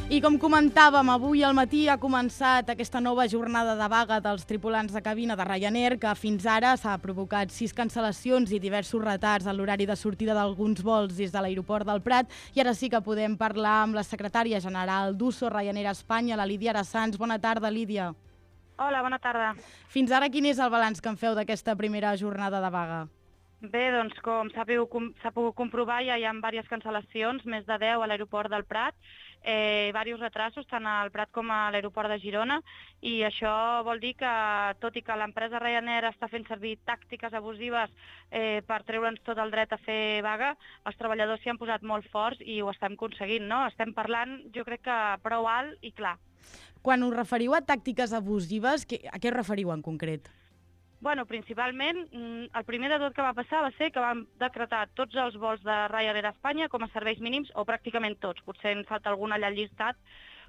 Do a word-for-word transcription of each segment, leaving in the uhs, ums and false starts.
I com comentàvem, avui al matí ha començat aquesta nova jornada de vaga dels tripulants de cabina de Ryanair, que fins ara s'ha provocat sis cancel·lacions i diversos retards en l'horari de sortida d'alguns vols des de l'aeroport del Prat. I ara sí que podem parlar amb la secretària general d'Uso Ryanair Espanya, la Lídia Arasanz. Bona tarda, Lídia. Hola, bona tarda. Fins ara, quin és el balanç que en feu d'aquesta primera jornada de vaga? Bé, doncs, com s'ha pogut comprovar, ja hi ha diverses cancel·lacions, més de deu a l'aeroport del Prat, eh, diversos retrasos, tant al Prat com a l'aeroport de Girona, i això vol dir que, tot i que l'empresa Ryanair està fent servir tàctiques abusives eh, per treure'ns tot el dret a fer vaga, els treballadors s'hi han posat molt forts i ho estem aconseguint, no? Estem parlant, jo crec que prou alt i clar. Quan us referiu a tàctiques abusives, a què us referiu en concret? Bueno, principalment, el primer de tot que va passar va ser que vam decretar tots els vols de Ryanair a Espanya com a serveis mínims, o pràcticament tots, potser en falta algun allà al llistat,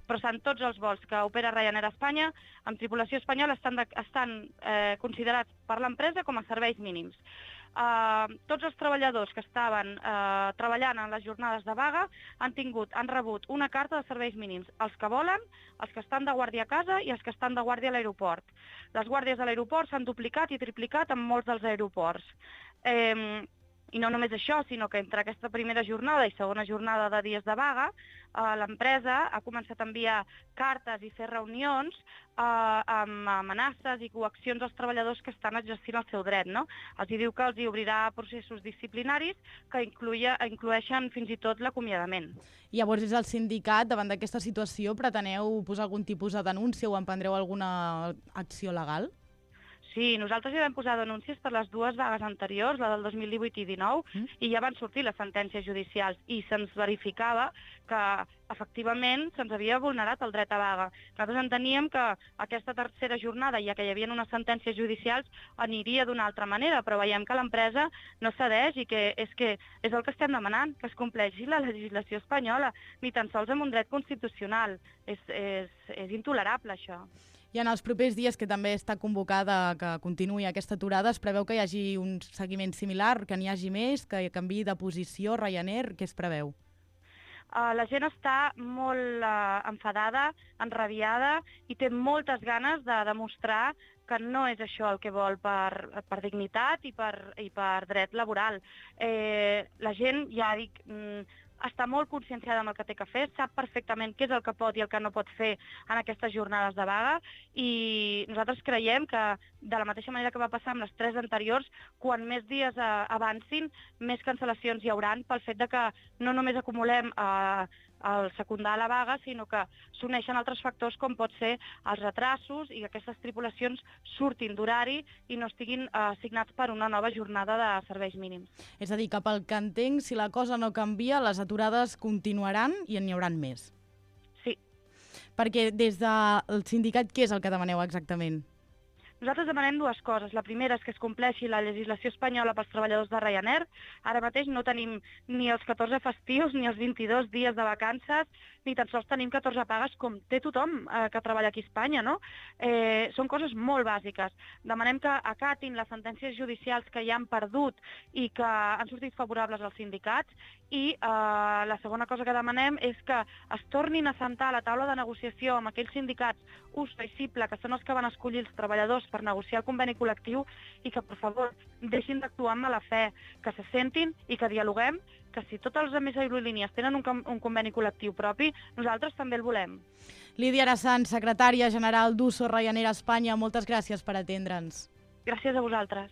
però estan tots els vols que opera Ryanair a Espanya amb tripulació espanyola estan, de, estan eh, considerats per l'empresa com a serveis mínims. Uh, tots els treballadors que estaven uh, treballant en les jornades de vaga han tingut, han rebut una carta de serveis mínims, els que volen, els que estan de guàrdia a casa i els que estan de guàrdia a l'aeroport. Les guàrdies de l'aeroport s'han duplicat i triplicat en molts dels aeroports. Eh, I no només això, sinó que entre aquesta primera jornada i segona jornada de dies de vaga, eh, l'empresa ha començat a enviar cartes i fer reunions eh, amb amenaces i coaccions als treballadors que estan exercint el seu dret, no? Els diu que els hi obrirà processos disciplinaris que incluïa, inclueixen fins i tot l'acomiadament. Llavors, des del sindicat, davant d'aquesta situació, preteneu posar algun tipus de denúncia o emprendreu alguna acció legal? Sí, nosaltres ja vam posar denúncies per les dues vagues anteriors, la del dos mil divuit i dinou, mm. i ja van sortir les sentències judicials i se'ns verificava que efectivament se'ns havia vulnerat el dret a vaga. Nosaltres enteníem que aquesta tercera jornada, ja que hi havia unes sentències judicials, aniria d'una altra manera, però veiem que l'empresa no cedeix i que és, que és el que estem demanant, que es compleixi la legislació espanyola, ni tan sols amb un dret constitucional. És, és, és intolerable, això. I en els propers dies, que també està convocada que continuï aquesta aturada, es preveu que hi hagi un seguiment similar, que n'hi hagi més, que canviï de posició Ryanair? Què es preveu? Uh, la gent està molt uh, enfadada, enrabiada i té moltes ganes de demostrar que no és això el que vol per, per dignitat i per, i per dret laboral. Eh, la gent, ja dic, mm, està molt conscienciada amb el que té que fer, sap perfectament què és el que pot i el que no pot fer en aquestes jornades de vaga, i nosaltres creiem que, de la mateixa manera que va passar amb les tres anteriors, quan més dies eh, avancin, més cancel·lacions hi hauran pel fet de que no només acumulem eh, el secundar a la vaga, sinó que s'uneixen altres factors com pot ser els retrasos i que aquestes tripulacions surtin d'horari i no estiguin eh, assignats per una nova jornada de serveis mínims. És a dir, que pel que entenc, si la cosa no canvia, les aturades continuaran i n'hi hauran més. Sí. Perquè des del sindicat, què és el que demaneu exactament? Nosaltres demanem dues coses. La primera és que es compleixi la legislació espanyola pels treballadors de Ryanair. Ara mateix no tenim ni els catorze festius, ni els vint-i-dos dies de vacances, ni tan sols tenim catorze pagues com té tothom eh, que treballa aquí a Espanya, no? Eh, són coses molt bàsiques. Demanem que acatin les sentències judicials que ja han perdut i que han sortit favorables als sindicats, i eh, la segona cosa que demanem és que es tornin a sentar a la taula de negociació amb aquells sindicats U S O i CIPLA, que són els que van escollir els treballadors per negociar el conveni col·lectiu, i que, per favor, deixin d'actuar amb mala fe, que se sentin i que dialoguem, que si totes les altres aerolínies tenen un, un conveni col·lectiu propi, nosaltres també el volem. Lídia Arasanz, secretària general d'Uso Ryanair Espanya, moltes gràcies per atendre'ns. Gràcies a vosaltres.